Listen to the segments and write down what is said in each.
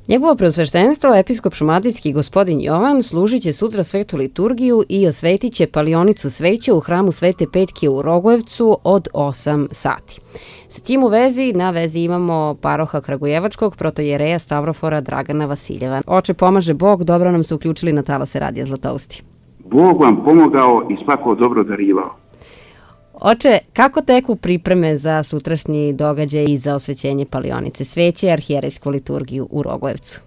Njegovo preosveštenstvo, episkop šumadijski gospodin Jovan, služit će sutra svetu liturgiju i osvetit će palionicu sveće u hramu Svete Petke u Rogojevcu od 8 sati. S tim u vezi, na vezi imamo paroha Kragujevačkog, protojereja Stavrofora Dragana Vasiljeva. Oče, pomaže Bog, dobro nam se uključili na talase Radija Zlatousti. Bog vam pomogao i svako dobro darivao. Oče, kako teku pripreme za sutrašnji događaj i za osvećenje palionice sveće i arhijerejsku liturgiju u Rogojevcu?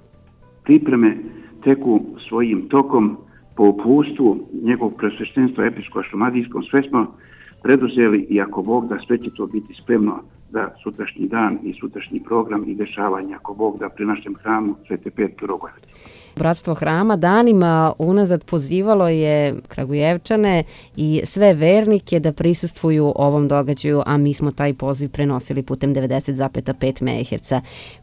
Pripreme teku svojim tokom po uputstvu njegovog preosveštenstva episkopa šumadijskog. Sve smo preduzeli i ako Bog da, sve će to biti spremno za sutrašnji dan i sutrašnji program i dešavanja, ako Bog da, pri našem hramu Svete Petke u Rogojevcu. Bratstvo hrama danima unazad pozivalo je Kragujevčane i sve vernike da prisustvuju ovom događaju, a mi smo taj poziv prenosili putem 90,5 MHz.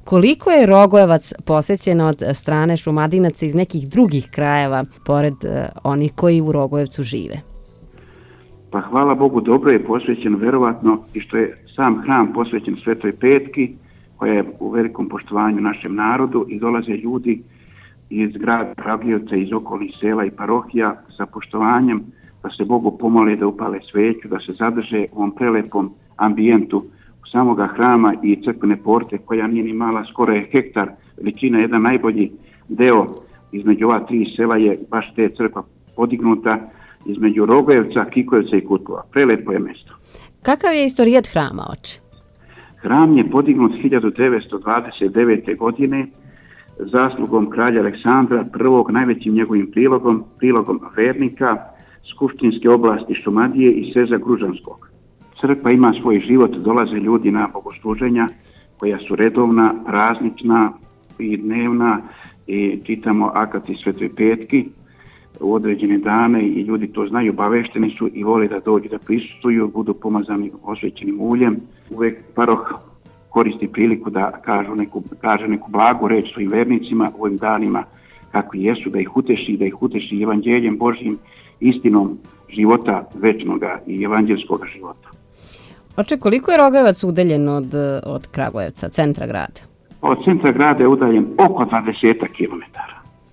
Koliko je Rogojevac posećen od strane šumadinaca iz nekih drugih krajeva, pored onih koji u Rogojevcu žive? Pa hvala Bogu, dobro je posvećen verovatno i što je sam hram posvećen Svetoj Petki, koja je u velikom poštovanju našem narodu, i dolaze ljudi iz grada Kragujevca, iz okolnih sela i parohija sa poštovanjem da se Bogu pomole, da upale sveću, da se zadrže u ovom prelepom ambijentu samoga hrama i crkvene porte, koja nije ni mala, skoro je hektar veličina. Jedan najbolji deo između ova tri sela je baš te crkva podignuta između Rogojevca, Kikojevca i Kutlova. Prelepo je mesto. Kakav je istorijat hrama, oče? Hram je podignut 1929. godine zaslugom kralja Aleksandra I, najvećim njegovim prilogom vernika Skupštinske oblasti Šumadije i Seza Gružanskog. Crkva ima svoj život, dolaze ljudi na bogosluženja koja su redovna, praznična i dnevna, i čitamo akati Svetoj Petki u određene dane i ljudi to znaju, obavešteni su i vole da dođu da prisustvuju, budu pomazani osvećenim uljem. Uvek paroh koristi priliku da kaže neku blagu reč svojim vernicima u ovim danima kakvi jesu, da ih uteši evanđeljem Božjim, istinom života večnoga i evanđelskog života. Oče, koliko je Rogojevac udaljen od Kragujevca, centra grada? Od centra grada je udaljen oko 20 km.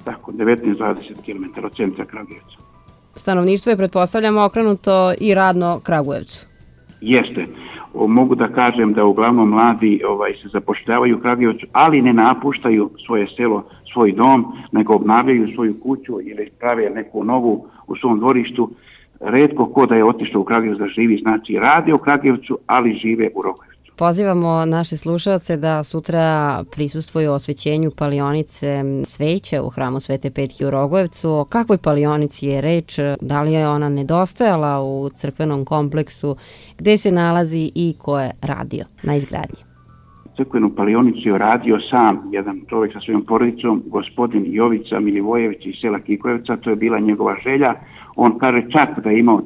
Tako, 19-20 km od centra Kragujevca. Stanovništvo je, pretpostavljamo, okrenuto i radno Kragujevcu. Jeste. Mogu da kažem da uglavnom mladi se zapošljavaju u Kragujevcu, ali ne napuštaju svoje selo, svoj dom, nego obnavljaju svoju kuću ili prave neku novu u svom dvorištu. Retko ko da je otišao u Kragujevac da živi, znači rade u Kragujevcu, ali žive u Rogojevcu. Pozivamo naše slušalce da sutra prisustvuju osvećenju palionice sveće u hramu Svete Petke u Rogojevcu. O kakvoj palionici je reč? Da li je ona nedostajala u crkvenom kompleksu? Gde se nalazi i ko je radio na izgradnji? Crkvenu palionicu je radio sam jedan čovjek sa svojom porodicom, gospodin Jovica Milivojević iz sela Kikojevca. To je bila njegova želja. On kaže čak da je imao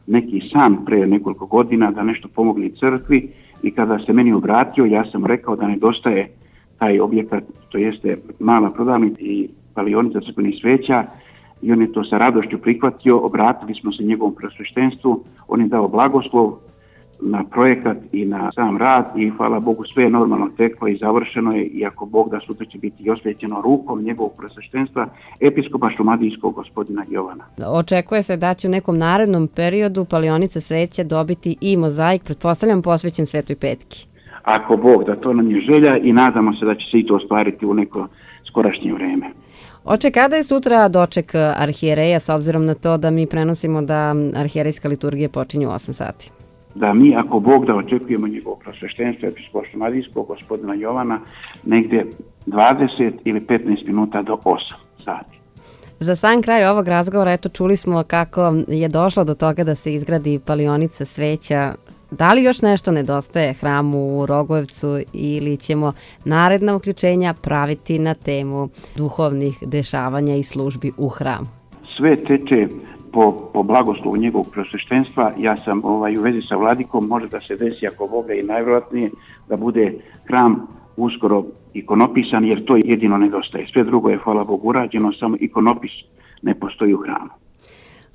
neki san pre nekoliko godina da nešto pomogne crkvi, i kada se meni obratio, ja sam rekao da nedostaje taj objekat, to jeste mala prodavnica i palionica crkvenih sveća, i on je to sa radošću prihvatio. Obratili smo se njegovom preosveštenstvu, on je dao blagoslov na projekat i na sam rad i hvala Bogu sve je normalno teklo i završeno je, i ako Bog da, sutra će biti osvećeno rukom njegovog preosveštenstva episkopa šumadijskog gospodina Jovana. Očekuje se da će u nekom narednom periodu palionica sveća dobiti i mozaik, pretpostavljam posvećen Svetoj Petki. Ako Bog da, to nam je želja i nadamo se da će se i to ostvariti u neko skorašnje vreme. Oče, kada je sutra doček arhijereja, s obzirom na to da mi prenosimo da arhijerejska liturgija počinje u 8 sati? Da mi, ako Bog da, očekujemo njegovo preosveštenstvo episkopa šumadijskog gospodina Jovana negdje 20 ili 15 minuta do 8 sati. Za sam kraj ovog razgovora, eto, čuli smo kako je došlo do toga da se izgradi palionica sveća. Da li još nešto nedostaje hramu u Rogojevcu ili ćemo naredna uključenja praviti na temu duhovnih dešavanja i službi u hramu? Sve teče po blagoslovu njegovog preosveštenstva. Ja sam u vezi sa vladikom, može da se desi ako Boga i najvjerojatnije da bude hram uskoro ikonopisan, jer to jedino nedostaje. Sve drugo je, hvala Bogu, urađeno, samo ikonopis ne postoji u hramu.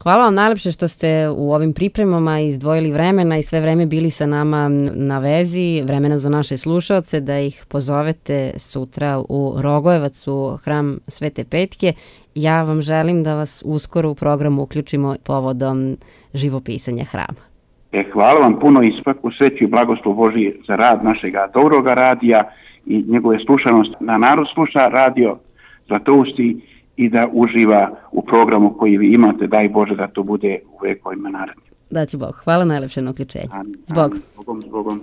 Hvala vam najlepše što ste u ovim pripremama izdvojili vremena i sve vreme bili sa nama na vezi, vremena za naše slušaoce, da ih pozovete sutra u Rogojevac u hram Svete Petke. Ja vam želim da vas uskoro u programu uključimo povodom živopisanja hrama. Hvala vam puno i svaku sreću i blagoslov Božji za rad našega dobroga radija i njegove slušanost na narod sluša radio Zlatousti i da uživa u programu koji vi imate. Daj Bože da to bude u vekovima narednim. Daće Bog. Hvala najlepše na uključenju. Zbog. Zbogom.